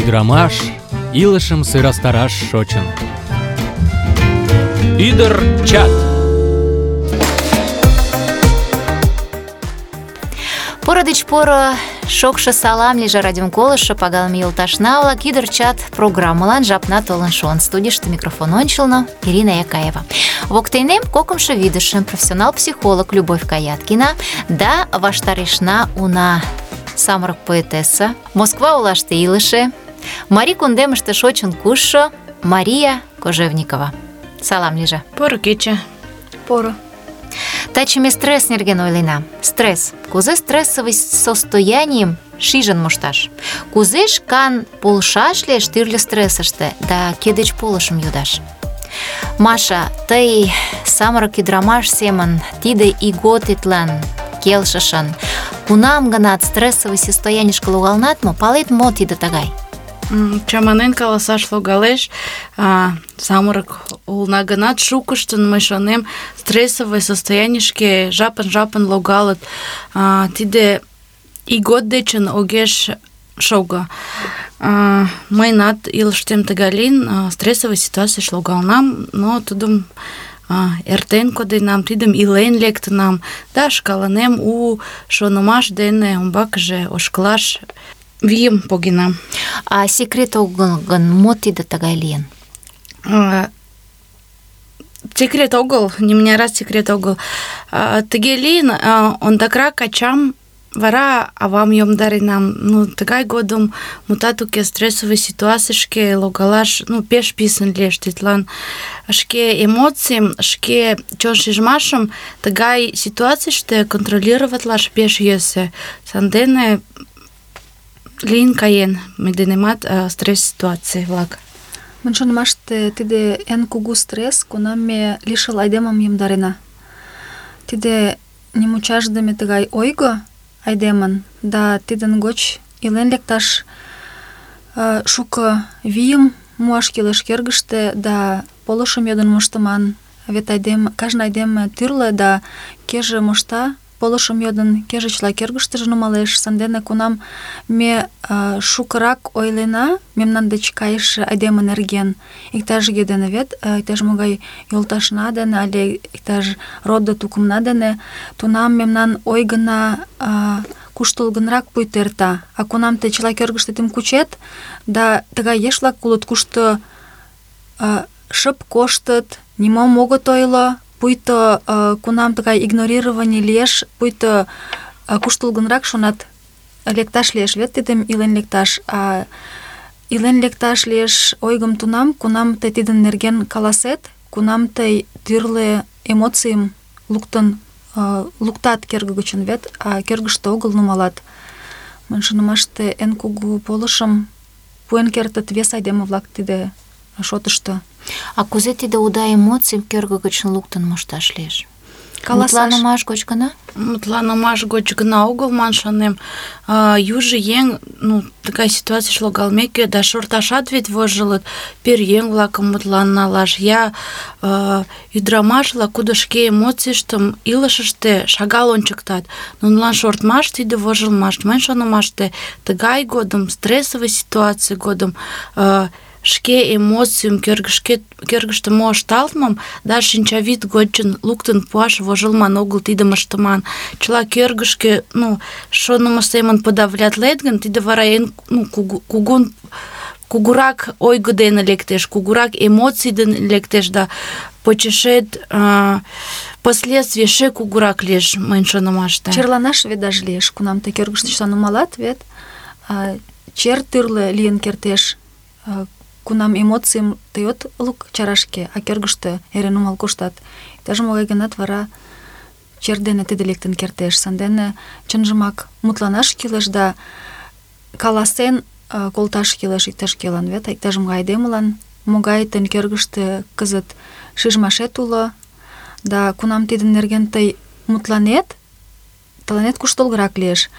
ӱдырамаш илышым сӧрастараш шочын. Ӱдыр чат. Поро деч поро шокшо салам лийже радиом колыштшо пагалыме йолташна-влак. Ӱдыр чат программылан жапна толын шуын. Студийыште микрофон ончылно Ирина Якаева. Воктенем кокымшо вӱдышӧ профессионал психолог Любовь Каяткина да ваштарешна уна самырык поэтесса, Москва олаште илыше, Марий кундемыште шочын кушшо Мария Кожевникова. Салам лийже. Поро кече. Поро. Таче ме стресс нерген ойлена. Стресс. Кузе стрессовый состоянием шижын мошташ? Кузе шкан полшаш лиеш тӱрлӧ стрессыште да кӧ деч полышым йодаш? Маша, тый самырык ӱдырамаш семын тиде ийготетлан келшышын кунам-гынат стрессовый состоянийышке логалынат мо? Палет, мо тиде тыгай? Чаманен каласаш логалеш, самырык улына гынат, шукыштын, мый шонем, стрессовый состоянийышке жапын-жапын логалыт. Тиде ийгот дечын огеш шого. Мыйынат илыштем тыгай лийын, стрессовый ситуацийыш логалынам, но тудым эртен коденам, тидым илен лектынам, да шкаланем у шонымаш дене умбакыже ошкылаш вийым погенам. А секрет огыл гын, мо тиде тыгай лийын? Секрет огыл, нимынярат секрет огыл. Тыге лийын, ондакрак ачам, вара авам йомдаренам. Тыгай годым мутат уке, стрессовый ситуацийышке логалаш пеш писын лиеш. Тидлан шке эмоцийым, шке чон шижмашым тыгай ситуацийыште контролироватлаш пеш йӧсӧ. Сандене лийын каен мый денемат стресс ситуаций-влак. Мыйын шонымаште, тиде эн кугу стресс, кунам ме лишыл айдемым йомдарена. Тиде нимучашдыме тыгай ойго айдемын, да тидын гоч илен лекташ шуко вийым муаш кӱлеш кӧргыштӧ, да полышым йодын моштыман. Вет кажне айдеме тӱрлӧ, да кӧжӧ мошта полышым йодын, кӧжӧ чыла кӧргыштыжӧ нумалеш. Сандене кунам ме шукырак ойлена мемнан деч кайыше айдеме нерген, иктаж-кӧ дене вет, иктаж-могай йолташна дене але иктаж родо-тукымна дене, тунам мемнан ойгына куштылгынрак пуйто эрта. А кунам тый чыла кӧргыштетым кучет, да тыгай еш-влак улыт, кушто шып коштыт, нимом огыт ойло, пуйто кунам тыгай игнорирование лиеш, пуйто куштылгынрак шонат, лекташ лиеш вет тидым илен лекташ. А илен лекташ лиеш ойгым тунам, кунам тый тидын нерген каласет, кунам тый тӱрлӧ эмоцийым луктат кӧргӧ гычын вет, а кӧргыштӧ огыл нумалат. Мыйын шонымаште, эн кугу полышым пуэн кертыт вес айдеме-влак тиде шотышто. А кузе тиде уда эмоцийым кӧргӧ гычын луктын мошташ лиеш? Мутланымаш гоч гына? Мутланымаш гоч гына огыл, ман шонем. Южо еҥ, тыгай ситуацийыш логалмеке, да шорташат вет вожылыт, пӧръеҥ-влакым мутлан налаш, я ӱдырамаш-влак, кудо шке эмоцийыштым илышыште шагал ончыктат. Нунылан шортмаш — тиде вожылмаш. Мыйын шонымаште, тыгай годым, стрессовый ситуаций годым шке эмоцийым, кӧргыштӧ мо ышталтмым да шинчавӱд гочын луктын пуаш вожылман огыл, тидым ыштыман. Чыла кӧргышкӧ шонымо семын подавлятлет гын, тиде вара эн кугурак ойго дене лектеш, кугурак эмоций дене лектеш, да почешет последствий эше кугурак лиеш, мыйын шонымаште. Черланаш вет даже лиеш, кунам тый кӧргыштӧ чыла нумалат вет, чер тӱрлӧ лийын кертеш. Кунам эмоцийым тый от лук чарашке, а кӧргыштӧ эре нумал коштат. Иктаж-могай гынат вара чер дене тиде лектын кертеш. Сандене чынжымак мутланаш кӱлеш да каласен колташ кӱлеш иктаж-кӧлан вет, иктаж-могай айдемылан, могай тыйын кӧргыштӧ кызыт шижмашет уло, да кунам тидын нерген тый мутланет, тыланет куштылгырак лиеш.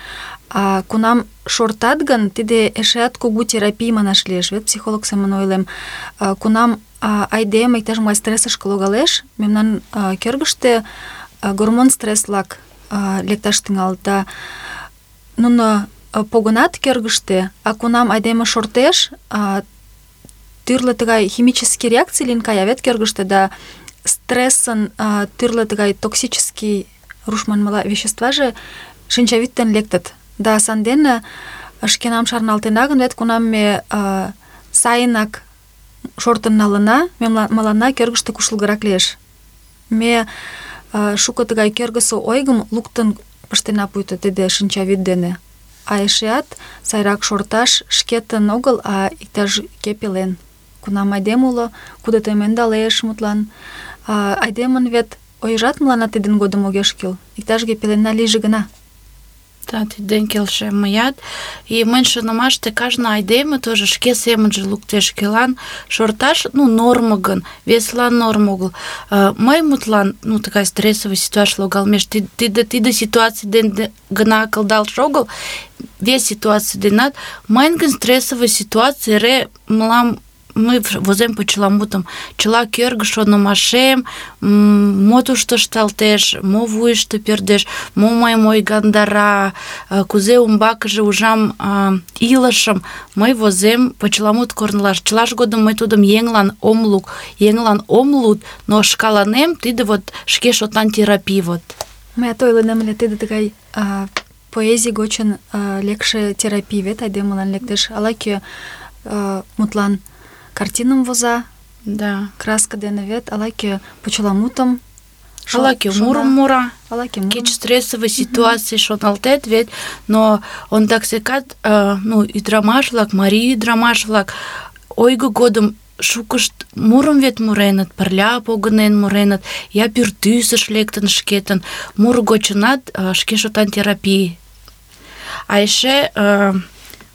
А кунам шортат гын, тиде эшеат кугу терапий манаш лиеш, вет психолог семын ойлем. Кунам айдеме иктаж-могай стрессышке логалеш, мемнан кӧргыштӧ гормон стресс-влак лекташ тӱҥалыт, да нуно погынат кӧргыштӧ, а кунам айдеме шортеш, тӱрлӧ тыгай химический реакций лийын кая вет кӧргыштӧ, да стрессын тӱрлӧ тыгай токсический, руш манмыла, веществаже шинчавӱд дене лектыт. Да сандене шкенам шарналтена гын, вет кунам ме сайынак шортын налына, мыланна кӧргыштӧ куштылгырак лиеш. Ме шуко тыгай кӧргысӧ ойгым луктын пыштена пуйто тиде шинчавӱд дене. А эшеат сайрак шорташ шкетын огыл, а иктаж-кӧ пелен. Кунам айдеме уло, кудытым ӧндалеш, мутлан. Айдемын вет ойжат мыланна тидын годым огеш кӱл. Иктаж-кӧ пеленна лийже гына. Да, тиден келшем мыят. И мыйын шонымаште кажне айдеме тоже шке семынже луктеш, кӧлан шорташ, норма гын, весылан норма огыл. Мый мутлан, тыгай стрессовый ситуаций логалмеш, тиде ситуаций дене гына кылдалше огыл, вес ситуаций денат, мыйын гын стрессовый ситуаций эре мылам мый возем почеламутым. Чыла кӧргӧ шонымашем, мо тушто ышталтеш, мо вуйышто пӧрдеш, мо мыйым ойгандара, кузе умбакыже ужам илышым, мый возем почеламут корнылаш. Чылаж годым мый тудым еҥлан ом луд, но шкаланем тиде вот шке шотлан терапий вот. Мыят ойлынем ыле, тиде тыгай поэзий гочын лекше терапий вет айдемылан лектеш. Ала-кӧ мутлан картиным воза, да, краска дене вет, ала-кӧ почеламутым, ала-кӧ мурым мура, кеч стрессовый ситуаций шоналтет вет, но ондак секат, ӱдырамаш-влак, марий ӱдырамаш-влак ойго годым шукышт мурым вет муреныт, пырля погынен муреныт, я пӱртӱсыш лектын шкетын, муро гочынат шке шотан терапий. А эше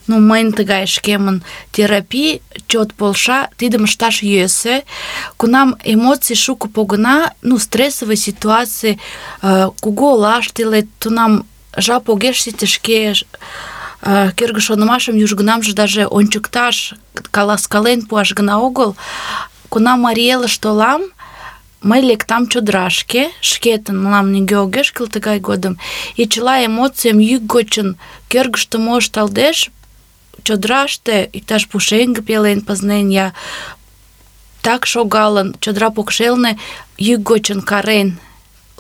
мыйын тыгай шкемын терапий чот полша, тидым ышташ йӧсӧ. Кунам эмоций шуко погына, стрессовый ситуаций, кугу олаште илет, тунам жап огеш сите шке кӧргӧ шонымашым южгунамже даже ончыкташ, каласкален пуаш гына огыл. Кунам Марий Элыш толам, мый лектам чодырашке, шкетын, мылам нигӧ огеш кӱл тыгай годым, и чыла эмоцийым йӱк гочын кӧргыштӧ мо ышталтеш, чодыраште иктаж пушеҥге пелен пызнен, я так шогалын, чодыра покшелне йӱк гочын карен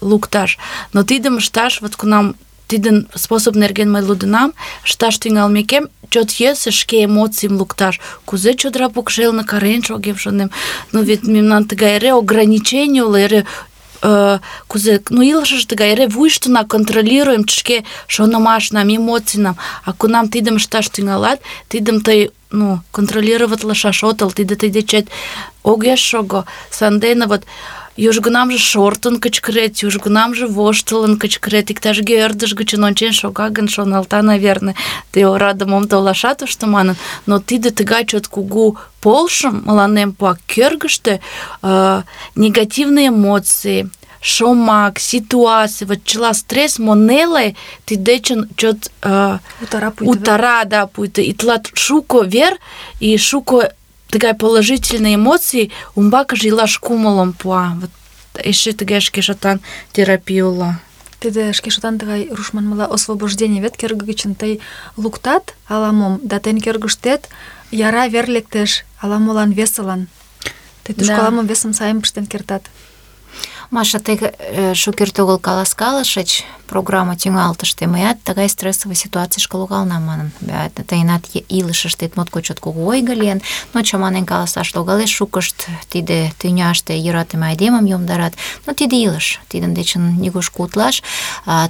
лукташ. Но тидым ышташ, вот кунам тидын способ нерген мый лудынам, ышташ тӱҥалмекем, чот йӧсӧ шке эмоцийым лукташ. Кузе чодыра покшелне карен шогем, шонем. Вет мемнан тыгай эре ограничений уло, эре кузе, илышыш тыгай эре вуйыштына контролируем шке шонымашнам, эмоцийнам. А кунам тидым ышташ тӱҥалат, тидым тый контролироватлышаш отыл, тиде тый дечет огеш шого. Сандене вот южгунамже шортын кычкырет, южгунамже воштылын кычкырет, иктаж-кӧ ӧрдыж гычын ончен шога гын, шоналта, наверное, тый ораде мом толаша тушто манын. Но тиде тыгай чот кугу полышым мыланем пуа кӧргыштӧ, негативный эмоции, шомак, ситуаций, вот чыла стресс мо неле, тиддечын чот утара, да, пуйто. И тылат шуко вер и шуко тыгай положительный эмоций умбакыже илаш кумылым пуа. Вот эше тыгай шке шотан терапий уло. Тиде шке шотан тыгай руш манмыла освобождение вет кӧргӧ гычын тый луктат ала-мом, да тыйын кӧргыштет яра вер лектеш ала-молан весылан. Тый тушко ала-мом весым сайын пыштен кертат. Маша, тый шукерте огыл каласкалышыч программа тӱҥалтыште, мыят тыгай стрессовый ситуацийышке логалынам манын. Тыйынат илышыштет моткоч чот кугу ойго лийын, но чаманен каласаш логалеш, шукышт тиде тӱняште йӧратыме айдемым йомдарат. Но тиде илыш, тидын дечын нигушко утлаш.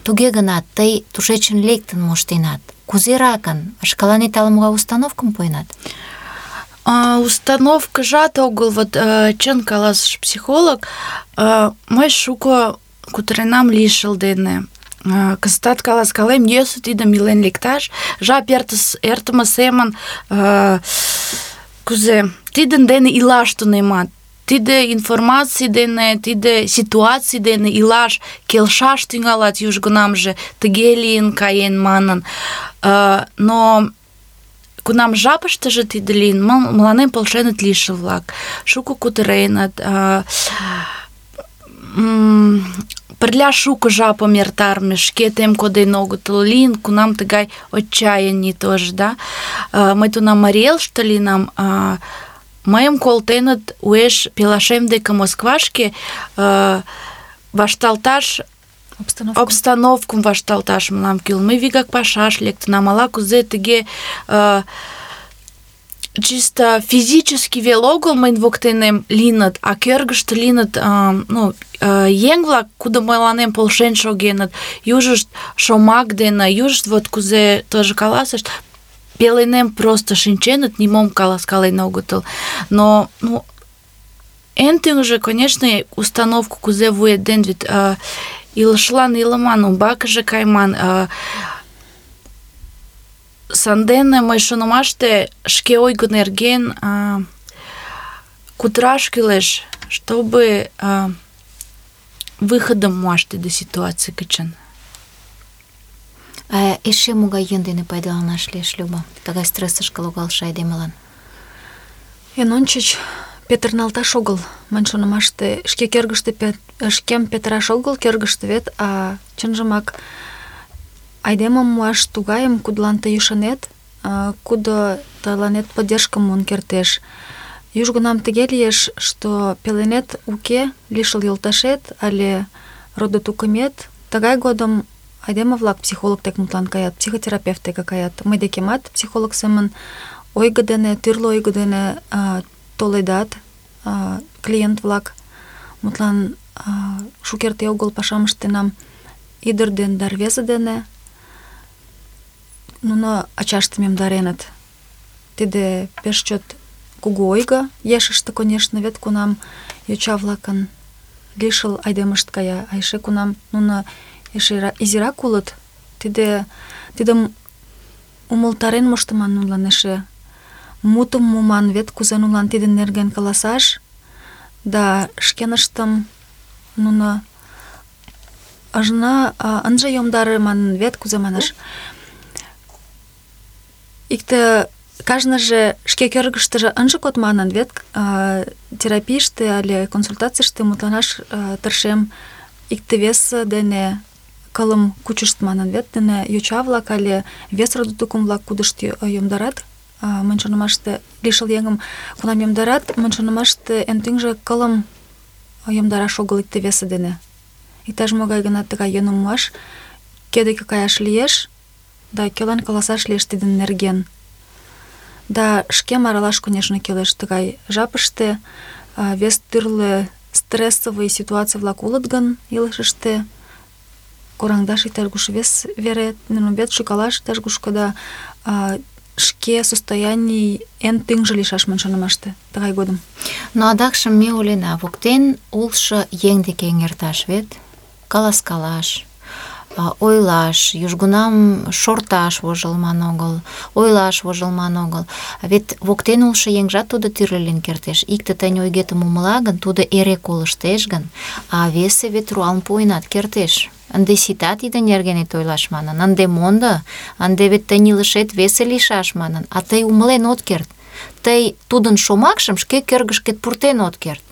Туге гынат, тый тушечын лектын моштенат. Кузеракын, шкаланет ала-могай установкым пуэнат? Установкыжат огыл, вот чын каласыш психолог, мый шуко кутыренам лишыл дене. Кызытат каласкалем, йӧсӧ тидым илен лекташ, жап эртыме семын кузе тидын дене илаш тунемат. Тиде информаций дене, тиде ситуаций дене илаш, келшаш тӱҥалат южгунамже, тыге лийын каен манын. Но кунам жапыштыже тиде лийын, мыланем полшеныт лишыл-влак. Шуко кутыреныт, пырля шуко жапым эртарыме, шкетем коден огытыл лийын, кунам тыгай отчаяние тоже, да. Мый тунам Марий Элыште лийынам, мыйым колтеныт уэш пелашем деке Москвашке вашталташ, обстановкым вашталташ мылам кӱл. Мый вигак пашаш лектынам, ала-кузе тыге чисто физически вел огыл мыйын воктенем лийыныт, а кӧргыштӧ лийыныт еҥ-влак, кудо мыланем полшен шогеныт, южышт шомак дене, южышт вот кузе тоже каласышт, пеленем просто шинченыт, нимом каласкален огытыл. Но, эн тӱҥжӧ, конечно, установка кузе вует ден вет илышлан илыман, умбакыже кайман. Сандене мый шонымаште шке ойго нерген кутыраш кӱлеш, чтобы выходым муаш тиде ситуаций гычын. Эше могай йӧн дене пайдаланаш лиеш, Люба, тыгай стрессышке логалше айдемылан? Эн ончыч петырналташ огыл, мынь шонымаште, шке кӧргыштӧ шкем петыраш огыл кӧргыштӧ вет, а чынжымак айдемым муаш тугайым, кудлан тый ӱшанет, кудо тыланет поддержкым муын кертеш. Южгунам тыге лиеш, что пеленет уке лишыл йолташет але родо-тукымет. Тыгай годым айдеме-влак психолог дек мутлан каят, психотерапевт деке каят. Мый декемат психолог семын ойго дене, тӱрлӧ ойго дене толедат клиент-влак. Мутлан шукерте огыл пашам ыштенам ӱдыр ден да рвезе дене. Нуно ачаштым йомдареныт. Тиде пеш чот кугу ойго ешыште, конечно, вет кунам йоча-влакын лишыл айдемышт кая, а эше кунам нуно эше изирак улыт, тидым умылтарен моштыман нунылан эше. Мутым муман вет, кузе нунылан тидын нерген каласаш, да шкеныштым нуно ынже йомдаре манын вет, кузе манаш. Икте кажныже шке кӧргыштыжӧ ынже код манын вет, терапийыште але консультацийыште мутланаш тыршем икте-весе дене кылым кучышт манын вет, дене йоча-влак але вес родо-тукым-влак кудышт йомдарат. Мынь шонымаште лишыл еҥым кунам йомдарат, мынь шонымаште эн тӱҥжӧ кылым йомдараш огыл икте-весе дене. Иктаж-могай гына тыгай йӧным муаш, кӧ деке каяш лиеш, да кӧлан каласаш лиеш тидын нерген. Да шкем аралаш, конечно, кӱлеш тыгай жапыште. Вес тӱрлӧ стрессовый ситуаций-влак улыт гын илышыште, кораҥдаш иктаж-куш вес вере, нумбет шӱкалаш иктаж-кушко, да шке состояний эн тӱҥжӧ лийшаш мынь шонымаште тыгай годым. Но адакшым ме ойлена, воктен улшо еҥ деке эҥерташ вет, каласкалаш, ойлаш, южгунам шорташ вожылман огыл, ойлаш вожылман огыл. Вет воктен улшо еҥжат тудо тӱрлӧ лийын кертеш. Икте тыйын ойгетым умыла гын, тудо эре колыштеш гын, а весе вет руалым пуэнат кертеш. Ынде сита тиде нергенет ойлаш манын, ынде мондо, ынде вет тыйын илышет весе лийшаш манын, а тый умылен от керт. Тый тудын шомакшым шке кӧргышкет пуртен от керт.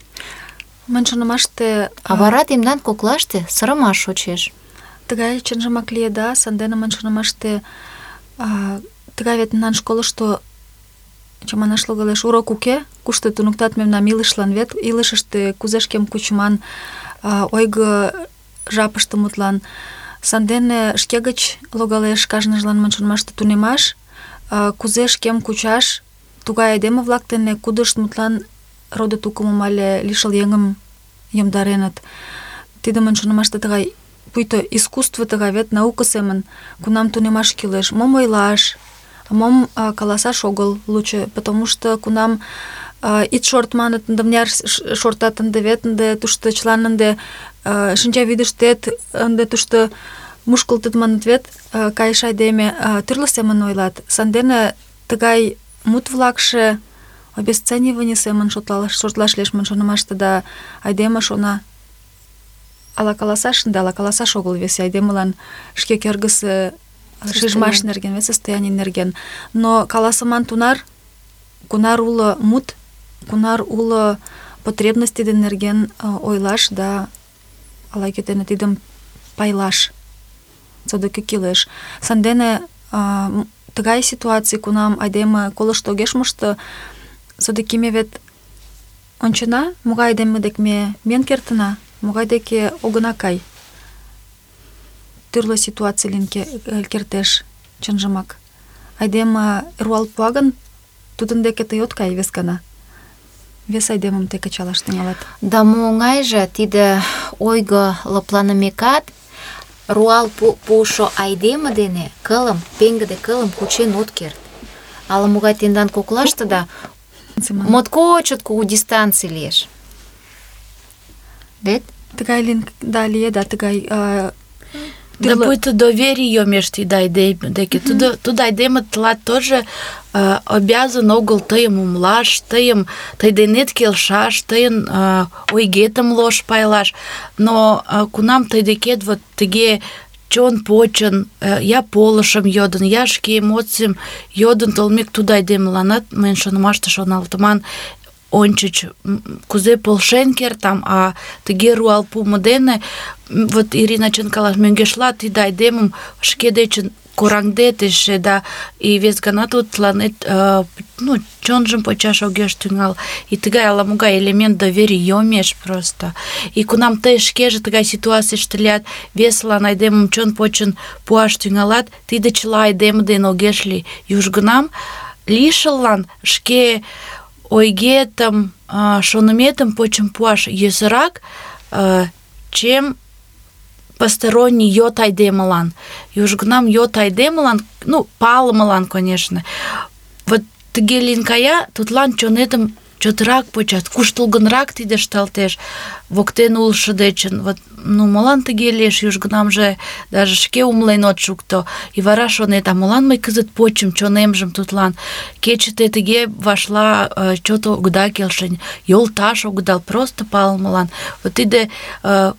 Мынь шонымаште... А вара тендан коклаште сырымаш шочеш. Тыгай чынжымак лиеда, сандене мынь шонымаште тыгай вет мемнан школышто чаманаш логалеш урок уке, кушто туныктат мемнам илышлан вет, илышыште кузе шкем кучыман ойго жапыште мутлан. Сандене шке гыч логалеш кажныжлан мынь шонымаште тунемаш, кузе шкем кучаш тугай айдеме-влак дене, кудышт мутлан родо-тукымым але лишыл еҥым йомдареныт. Тиде мынь шонымаште тыгай пуйто искусство тыгай вет, наука семын, кунам тунемаш кӱлеш, мом ойлаш, мом каласаш огыл лучо, потому что кунам ит шорт маныт, ынде мыняр шортат ынде вет, ынде тушто чылан ынде шинчавӱдыштет, ынде тушто мушкылтыт маныт вет, кайыш айдеме, тӱрлӧ семын ойлат. Сандене тыгай мут-влакше обесценивание семын шотлаш лиеш мынь шонымаште, да айдеме шона, ала каласаш ынде, ала каласаш огыл весе айдемылан шке кӧргысӧ шижмаш нерген, вет состояний нерген. Но каласыман тунар, кунар уло мут, кунар уло потребность тидын нерген ойлаш, да ала-кӧ дене тидым пайлаш содыки кӱлеш. Сандене тыгай ситуаций, кунам айдеме колышт огеш мошто, содыки ме вет ончена, могай айдеме дек ме миен кертына, могай деке огына кай. Тӱрлӧ ситуаций лийын кертеш, чынжымак. Айдеме руал пуа гын, тудын деке тый от кай вес гана. Вес айдемым тый кычалаш тӱҥалат. Да мо оҥайже тиде ойго лыпланымекат, руал пуышо айдеме дене кылым, пеҥгыде кылым кучен от керт. Ала-могай тендан коклаштыда моткочак кугу дистанций лиеш. Вет? Тыгай лие, тыгай... Да пуйто доверие йомеш тиде айдеме деке. Тудо айдеме тылат тоже обязан огыл тыйым умылаш, тый денет келшаш, тыйын ойгетым лош пайлаш. Но кунам тый декет вот тыге чон почын, я полышым йодын, я шке эмоцийым йодын толмек тудо айдемыланат, мыйын шонымаште шоналтыман, ончыч кузе полшен кертам, а тыге руал пуымо дене, вот Ирина чын калаш, мӧҥгешла тиде айдемым шке дечын кораҥдет эше, да, и вес гана тудланет чонжым почаш огеш тӱҥал. И тыгай ала-могай элемент доверий йомеш просто. И кунам тый шкеже тыгай ситуацийыште лият, весылан айдемым чон почын пуаш тӱҥалат, тиде чыла айдеме дене огеш лий. Южгунам лишыллан шке ойгетым, шоныметым почын пуаш йӧсырак, чем посторонний йот айдемылан. Южгунам йот айдемылан, палымылан, конечно. Вот тыге лийын кая, тудлан чонетым чотрак почат, куштылгынрак тиде ышталтеш, воктен улшо дечын. Вот, молан тыге лиеш, южгунамже даже шке умылен от шукто. И вара шонет, а молан мый кызыт почым чонемжым тудлан? Кече те тыге вашла, чот огыда келшен, йолташ огыдал, просто палымылан. Вот тиде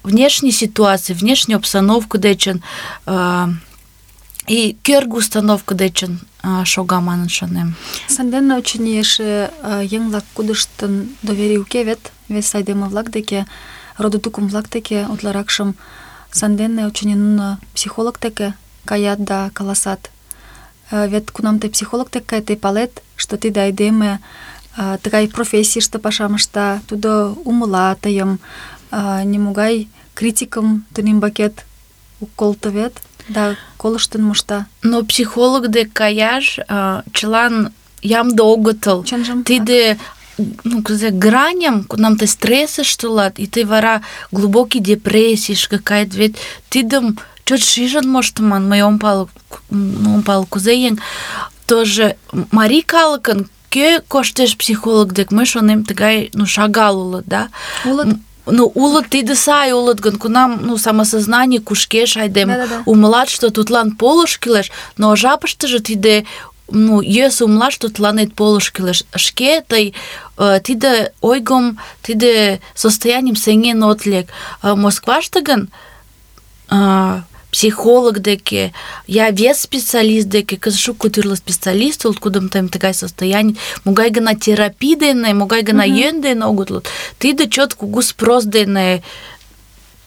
внешний ситуации, внешний обстановка дечын, и кӧргӧ установка дечын шога манын шонем. Сандене, очыни, эше еҥ-влак кудыштын доверий уке вет, вес айдеме-влак деке, родо-тукым-влак деке утларакшым. Сандене, очыни, нуно психолог деке каят да каласат. Вет кунам тый психолог деке кает, тый палет, что тиде айдеме тыгай профессийыште пашам ышта, тудо умыла тыйым, нимогай критикым тынембакет ок колто вет. Да, колыштын мошта. Но психолог дек каяш чылан ямде огытыл. Тиде граням, кунам тый стрессыште улат, и тый вара глубокий депрессийыш кает, вет тидым чот шижын моштыман, мый ом пале кузе еҥ. Тоже марий калыкын кӧ коштеш психолог дек, мый шонем, тыгай шагал улыт, да? Улыт тиде сай улыт гын, кунам самосознание кушкеш айдем, умылат, что тудлан полыш кӱлеш, но жапыштыже тиде йӧсӧ умылаш, тудланет полыш кӱлеш. Шке тый тиде ойгым, тиде состоянием сеҥен от лек. Москваште гын психолог деке, я вес специалист деке, кызыт шуко тӱрлӧ специалист улыт, кудым тыгай состояний, могай гына терапий дене, могай гына йӧн дене огыт луд. Тиде чот кугу спрос дене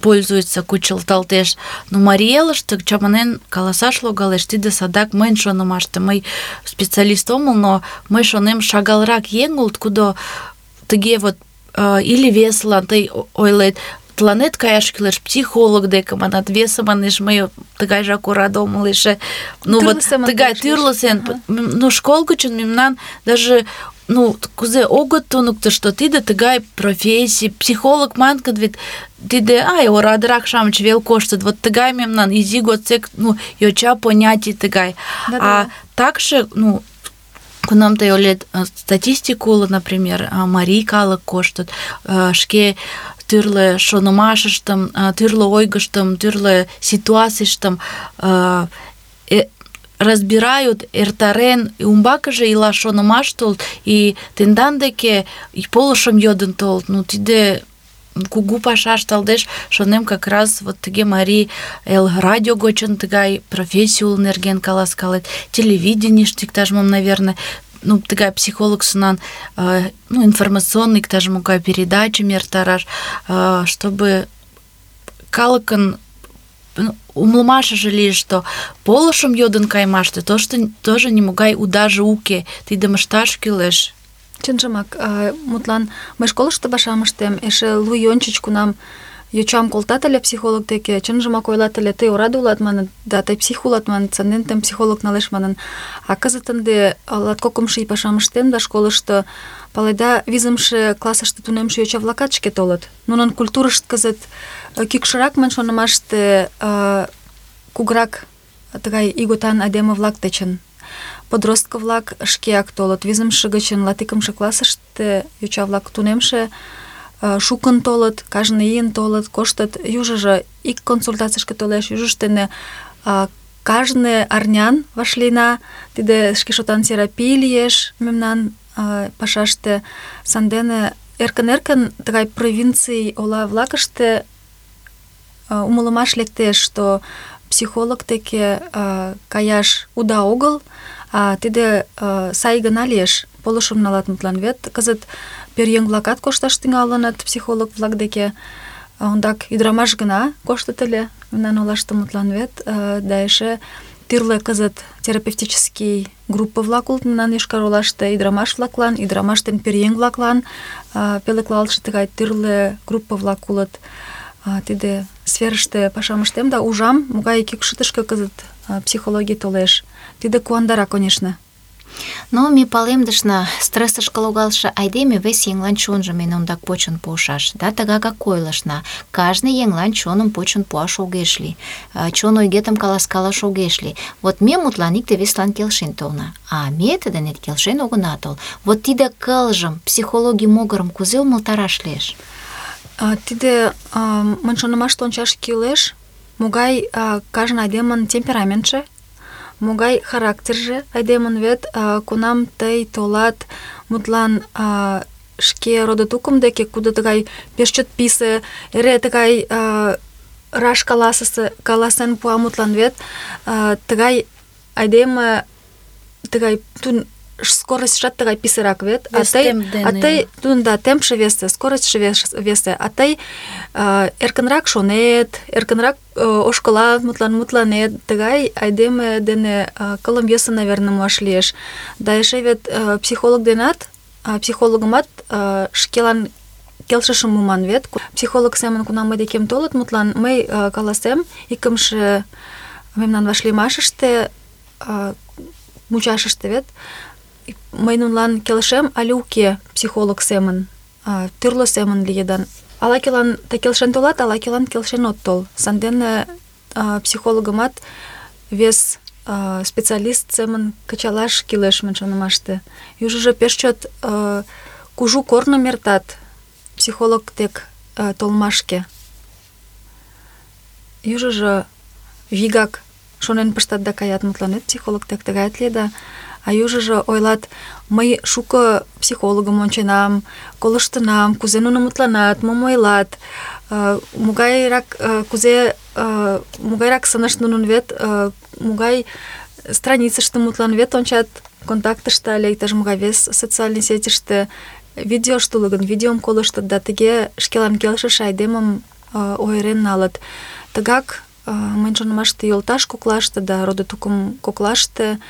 пользуется, кучылталтеш. Но марий элыште чаманен каласаш логалеш, тиде садак мыйын шонымаште. Мый специалист омыл, но мый шонем, шагалрак еҥ улыт, кудо тыге вот или весылан тый ойлет, тыланет каяш кӱлеш психолог деке, манат, весе манеш, мый тыгайжак ораде омыл эше. Тыгай тӱрлӧ сем. Школ гычын мемнан даже кузе огыт туныкто, что тиде тыгай профессий, психолог манын гын, вет тиде орадырак-шамыч вел коштыт. Вот тыгай мемнан изи годсек йоча понятий тыгай. А такше, кунам тый ойлет, статистика уло, например, марий калык коштыт, шке тӱрлӧ шонымашыштым, тӱрлӧ ойгыштым, тӱрлӧ ситуацийыштым разбирают, эртарен, умбакыже илаш шонымаш толыт, и тендан деке полышым йодын толыт. Тиде кугу паша ышталтеш, шонем, как раз вот тыге Марий Эл радио гочын тыгай профессий уло нерген каласкалет, телевиденийыште иктаж-мом, наверное, тыгай психолог сынан, информационный иктаж-могай передачым эртараш, чтобы калыкын умылымашыже лиеш, что полышым йодын кайымаште тоже нимогай удаже уке, тидым ышташ кӱлеш. Чынжымак, мутлан, мый школышто пашам ыштем, эше лу ий ончыч кунам йочам колтат ыле психолог деке, чынжымак ойлат ыле, тый ораде улат манын, да тый псих улат манын, санден тыйым психолог налеш манын. А кызыт ынде латкокымшо ий пашам ыштем да школышто, паледа, 5-ше классыште тунемше йоча-влакат шке толыт. Нунын культурышт кызыт кӱкшырак мын шонымаште кугурак тыгай ийготан айдеме-влак дечын. Подростко-влак шкеак толыт. 5-ше гычын 12-ше классыште йоча-влак тунемше шукын толыт, кажне ийын толыт, коштыт. Южыжо ик консультацийышке толеш, южышт дене кажне арнян вашлийна. Тиде шке шотан терапий лиеш мемнан пашаште. Сандене эркын-эркын тыгай провинций ола-влакыште умылымаш лектеш, что психолог деке каяш уда огыл, а тиде сай гына лиеш. Полышым налат мутлан вет. Кызыт пӧръеҥ-влакат кошташ тӱҥалыныт психолог-влак деке. Ондак ӱдырамаш гына коштыт ыле мемнан олаште мутлан вет. Да эше тӱрлӧ кызыт терапевтический группа-влак улыт мемнан Йошкар-Олаште ӱдырамаш-влаклан, ӱдырамаш ден пӧръеҥ-влаклан пӧлеклалтше тыгай тӱрлӧ группа-влак улыт. Тиде сферыште пашам ыштем да ужам, могай кӱкшытышкӧ кызыт психологий толеш. Тиде куандара, конечно. Но ме палемдышна, стрессышке логалше айдеме вес еҥлан чонжым эн ондак почын пуышаш. Да тыгакак ойлышна, кажне еҥлан чоным почын пуаш огеш лий. Чон ойгетым каласкалаш огеш лий. Вот ме мутлан икте-весылан келшен толна, а ме тидын келшен огына тол. Вот тиде кылжым, психологий могырым кузе умылтараш лиеш? Тиде мын шонымаште ончаш кӱлеш, могай кажне айдемын темпераментше, могай характерже айдемын вет, кунам тый толат, мутлан шке родо-тукым деке, кудо тыгай пеш чот писе, эре тыгай раш каласен пуа мутлан вет, тыгай айдеме, тыгай тун скоростьшат тыгай писырак вет, а тый тудын да темпше весе, скоростьше весе, а тый эркынрак шонет, эркынрак ошкылат, мутланет, тыгай айдеме дене кылым йӧсӧ, наверное, муаш лиеш. Да эше вет психолог денат, психологымат шкелан келшышым муман вет. Психолог семын кунам мый декем толыт, мутлан мый каласем, икымше мемнан вашлиймашыште, мучашыште вет, мый нунлан келшем але уке психолог семын, тӱрлӧ семын лиедан. Ала-кӧлан тый келшен толат, ала-кӧлан келшен от тол. Сандене психологымат вес специалист семын кычалаш кӱлеш мын шонымаште. Южыжо пеш чот кужу корным эртат психолог дек толмашке. Южыжо вигак шонен пыштат да каят, мутланет психолог дек тыгает лиеда. А южыжо ойлат, мый шуко психологым онченам, колыштынам, кузе нуно мутланат, мом ойлат, могайрак сынышт нунын вет, могай страницыште мутлан вет ончат, контактыште але иктаж-могай вес социальный сетьыште видеошто уло гын, видеом колыштыт да тыге шкелан келшыше айдемым ойырен налыт. Тыгак мыйын шонымаште йолташ коклаште да родо-тукым коклаште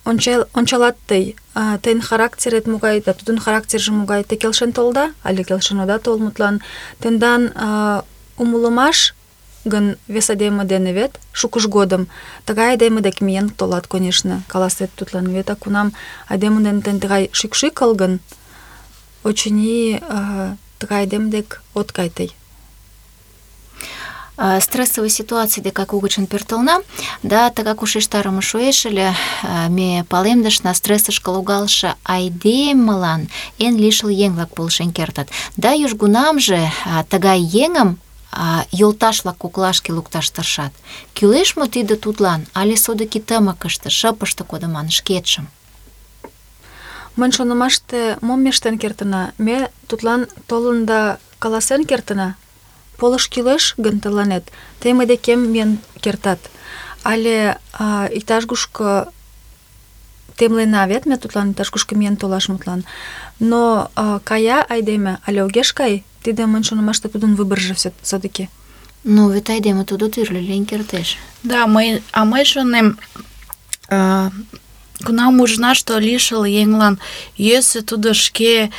ончалат тый, тыйын характерет могай, да тудын характерже могай, те келшен толда, але келшен ода тол, мутлан. Тендан умылымаш гын вес айдеме дене вет, шукыж годым, тыгай айдеме дек миен толат, конечно, каласет тудлан вет, а кунам айдеме дене тен тыгай шӱкшӱкыл гын, очыни тыгай айдеме дек от кай тый. Стрессовый ситуаций декак угычын пӧртылна, да тыгак ушештарыме шуэш ыле, ме палемдышна, стрессышке логалше айдемылан эн лишыл еҥ-влак полшен кертыт. Да южгунамже тыгай еҥым йолташ-влак коклашке лукташ тыршат. Кӱлеш мо тиде тудлан, але содыки тымыкыште, шыпыште кодыман шкетшым? Мыйын шонымаште мом ме ыштен кертына? Ме тудлан толын да каласен кертына. Полыш кӱлеш гын тыланет, тый мый декем миен кертат. Але иктаж-кушко темлена вет, ме тудлан иктаж-кушко миен толаш мутлан. Но кая айдеме але огеш кай, тиде мыйын шонымаште тудын выборжо все-таки. Ну, вет айдеме тудо тӱрлӧ лийын кертеш. Да, мый шонем, кунам ужына, что лишыл еҥлан йӧсӧ, тудо шке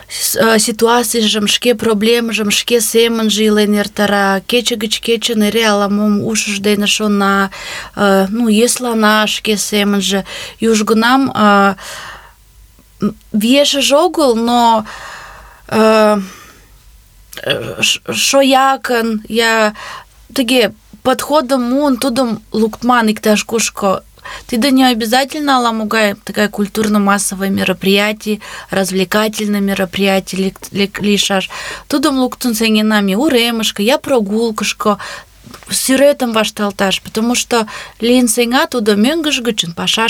ситуацийжым, шке проблемжым шке семынже илен эртара, кече гыч кечын эре ала-мом ушыж дене шона, йӧслана шке семынже. Южгунам виешыже огыл, но шоякын, я тыге подходым муын, тудым луктман иктаж-кушко. Тиде не обязательно ала-могай такая культурно-массовое мероприятие, развлекательное мероприятие лишаш. Тудым луктын сеҥенам я уремышко, я прогулкышко, сӱретым вашталташ, потому что лийын сеҥа тудо мӧҥгыж гычын, паша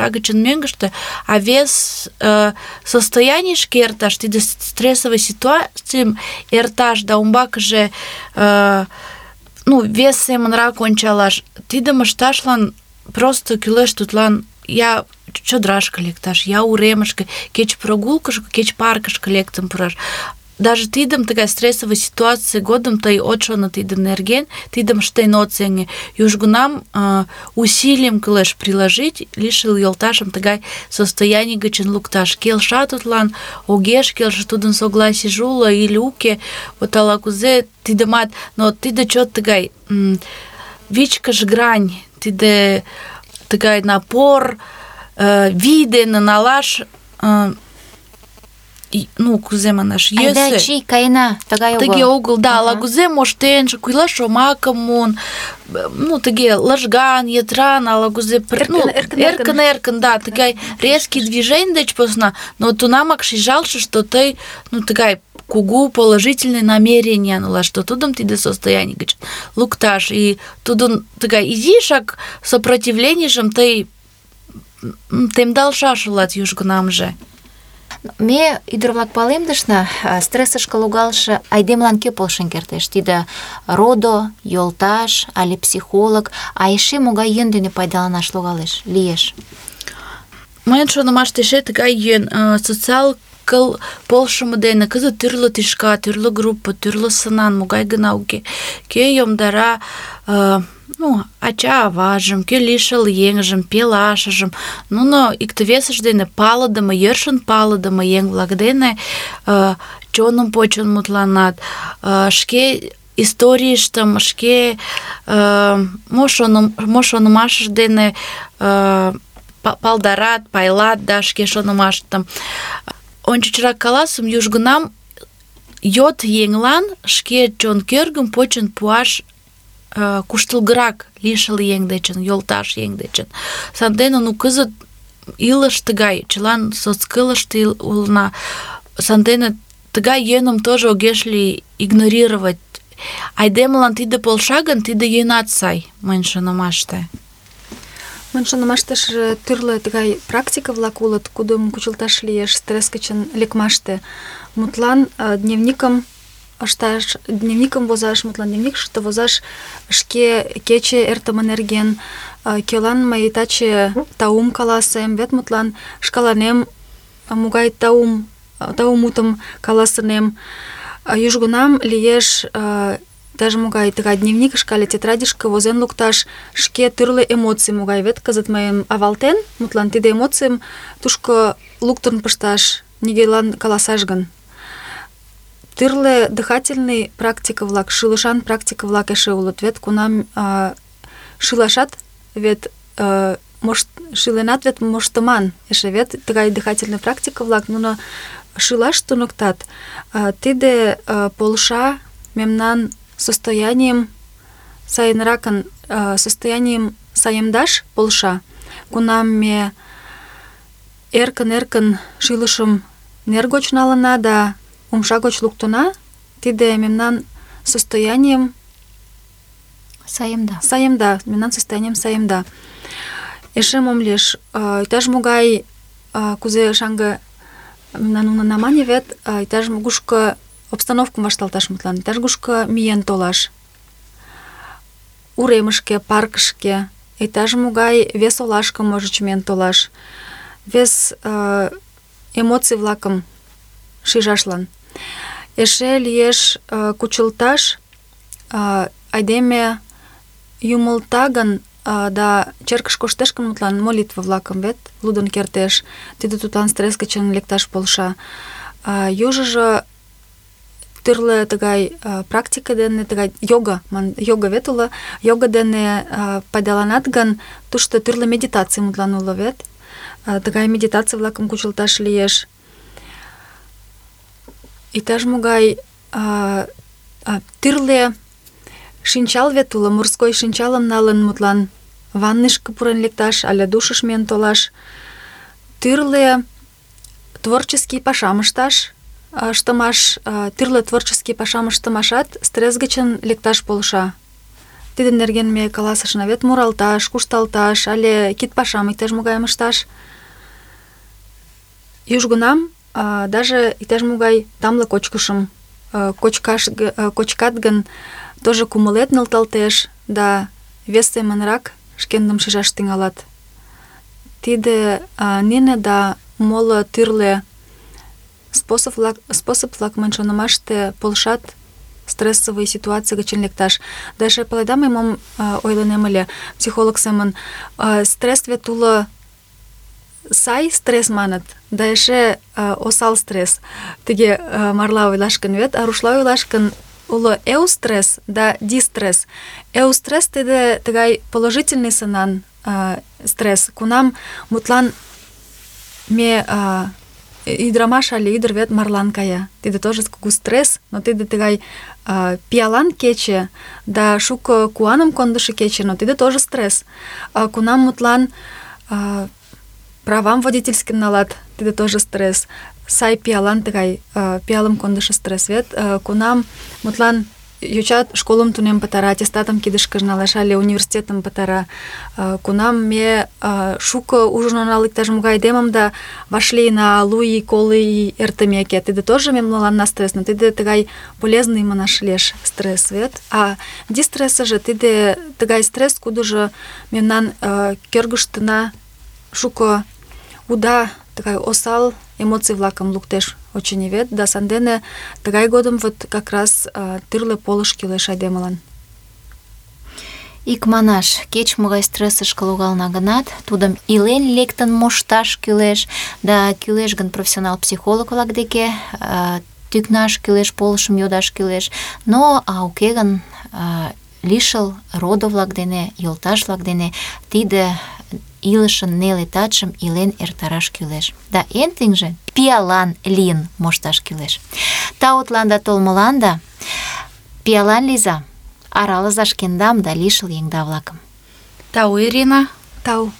гычын мӧҥгыштӧ, а вес состоянийышке эрташ, тиде стрессовый ситуацийым эрташ да умбакыже вес семынрак ончалаш, тидым ышташлан просто кӱлеш тудлан я чодрашке лекташ, я уремышке, кеч прогулкышко, кеч паркышке лектын пураш. Даже тидым тыгай стрессовый ситуаций годым тый от шоно тидын нерген, тидым ыштен от сеҥе. Южгунам усилийым кӱлеш приложить, лишыл йолташым тыгай состояний гычын лукташ. Келша тудлан, огеш келше, тудын согласийже уло или уке, вот ала-кузе тидымат, но тиде чот тыгай вичкыж грань, тиде тыгай напор, вий дене налаш, кузе манаш, йӧсӧ. Айда чий, каена, тыгай огыл. Тыге огыл, да, ала-кузе моштенже, кугыла шомакым муын, тыге лыжган, йытыран, ала-кузе эркын, да, тыгай резкий движений деч посна, но тунамак шижалше, что тый, тыгай кугу положительный намерение налаш, что тудым тиде состояние гыч лукташ, и тудын тыгай изишак сопротивленийжым тый темдалшаш улат южгунамже. Ме ӱдыр-влак палемдышна, стрессышке логалше айдемылан кӧ полшен кертеш? Тиде родо, йолташ але психолог, а эше могай йӧн дене пайдаланаш лиеш? Мыйын шонымаште эше тыгай йӧн, социал кыл полшымо дене кызыт тӱрлӧ тӱшка, тӱрлӧ группа, тӱрлӧ сынан, могай гына уке. Кӧ йомдара ача-аважым, кӧ лишыл еҥжым, пелашыжым, нуно икте-весышт дене палыдыме, йӧршын палыдыме еҥ-влак дене чоным почын мутланат, шке историйыштым, шке мо шонымашышт дене палдарат, пайлат, да, шке шонымаштым. Ончычрак каласым, южгунам йот еҥлан шке чон кӧргым почын пуаш куштылгырак лишыл еҥ дечын, йолташ еҥ дечын. Сандене кызыт илыш тыгай, чылан соцкылыште улына. Сандене тыгай йӧным тоже огеш лий игнорировать. Айдемылан тиде полша гын, тиде йӧнат сай, мыйын шонымаште. Мыйын шонымаштыже тӱрлӧ тыгай практика-влак улыт, кудым кучылташ лиеш стресс гычын лекмаште. Мутлан дневникым возаш, дневникыште возаш шке кече эртыме нерген, кӧлан мый таче таум каласем, вет мутлан шкаланем могай таум мутым каласынем. Южгунам лиеш даже могай тыгай дневникышке але тетрадьышке возен лукташ шке тӱрлӧ эмоций могай, вет кызыт мыйым авалтен, мутлан тиде эмоцийым тушко луктын пышташ, нигӧлан каласаш гын. Тӱрлӧ дыхательный практика-влак, шӱлышан практика-влак эше улыт, вет кунам шӱлашат вет шӱленат вет моштыман эше, вет тыгай дыхательный практика-влак, нуно шӱлаш туныктат. Тиде полша мемнан состоянием сайынракын, состоянием саемдаш полша, кунам ме эркын-эркын шӱлышым нер гоч налына да умша гоч луктына, тиде мемнан состоянием саемда, мемнан состоянием саемда. Эше мом лиеш, иктаж-могай, кузе шаҥге мемнан унына мане вет, иктаж-кушко обстановкым вашталташ мутлан, иктаж-кушко миен толаш, уремышке, паркышке, иктаж-могай вес олашке можыч миен толаш, вес эмоций-влакым шижашлан. Эше лиеш кучылташ айдеме юмылта гын, да черкыш коштеш гын, мутлан молитва-влакым вет лудын кертеш. Тиде тудлан стресс гычын лекташ полша. Южыжо тӱрлӧ тыгай практика дене, тыгай йога вет уло, йога дене пайдаланат гын, тушто тӱрлӧ медитаций мутлан уло вет. Тыгай медитаций-влакым кучылташ лиеш. Иктаж-могай тӱрлӧ шинчал вет уло, морской шинчалым налын, мутлан ванныйышке пурен лекташ але душыш миен толаш. Тӱрлӧ творческий пашам ыштымаш, тӱрлӧ творческий пашам ыштымашат стресс гычын лекташ полша. Тидын нерген ме каласышна вет, муралташ, кушталташ але кид пашам иктаж-могайым ышташ. Южгунам даже иктаж-могай тамле кочкышым кочкат гын, тоже кумылет нӧлталтеш да вес семынрак шкендым шижаш тӱҥалат. Тиде нине да моло тӱрлӧ способ-влак мыйын шонымаште полшат стрессовый ситуаций гычын лекташ. Да эше паледа, мый мом ойлынем ыле психолог семын. Стресс вет уло сай стресс маныт, да эше осал стресс. Тыге марла ойлаш гын вет, а рушла ойлаш гын, уло эустресс да дистресс. Эустресс тиде тыгай положительный сынан стресс, кунам мутлан ме ӱдырамаш але ӱдыр вет марлан кая. Тиде тоже кугу стресс, но тиде тыгай пиалан кече да шуко куаным кондышо кече, но тиде тоже стресс. Кунам мутлан правам водительским налат, тиде тоже стресс. Сай пиалан тыгай пиалым кондышо стресс вет. Кунам мутлан йоча школым тунем пытара, аттестатым кидышкыже налеш але университетым пытара. Кунам ме шуко ужын онал иктаж-могай айдемым да вашлийна 100 ий, 50 ий эртымеке. Тиде тоже мемналанна стресс, но тиде тыгай полезный манаш лиеш стресс вет. А дистрессыже тиде тыгай стресс, кудыжо мемнан кӧргыштына шуко уда тыгай осал эмоций-влакым луктеш, очыни вет, да сандене тыгай годым вот как раз тӱрлӧ полыш кӱлеш айдемылан. Икманаш, кеч-могай стрессышке логална гынат, тудым илен лектын мошташ кӱлеш, да кӱлеш гын профессионал психолог-влак деке тӱкнаш кӱлеш, полышым йодаш кӱлеш. Но уке гын лишыл родо-влак дене, йолташ-влак дене тиде илышын неле татшым илен эртараш кӱлеш. Да эн тӱҥжӧ пиалан лийын мошташ кӱлеш. Таутланда толмыланда пиалан лийза, аралыза шкендам да лишыл еҥда-влакым. Тау, Ирина. Тау.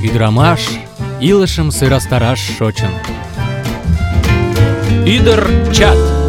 Ӱдырамаш илышым сӧрастараш шочын. Ӱдыр чат.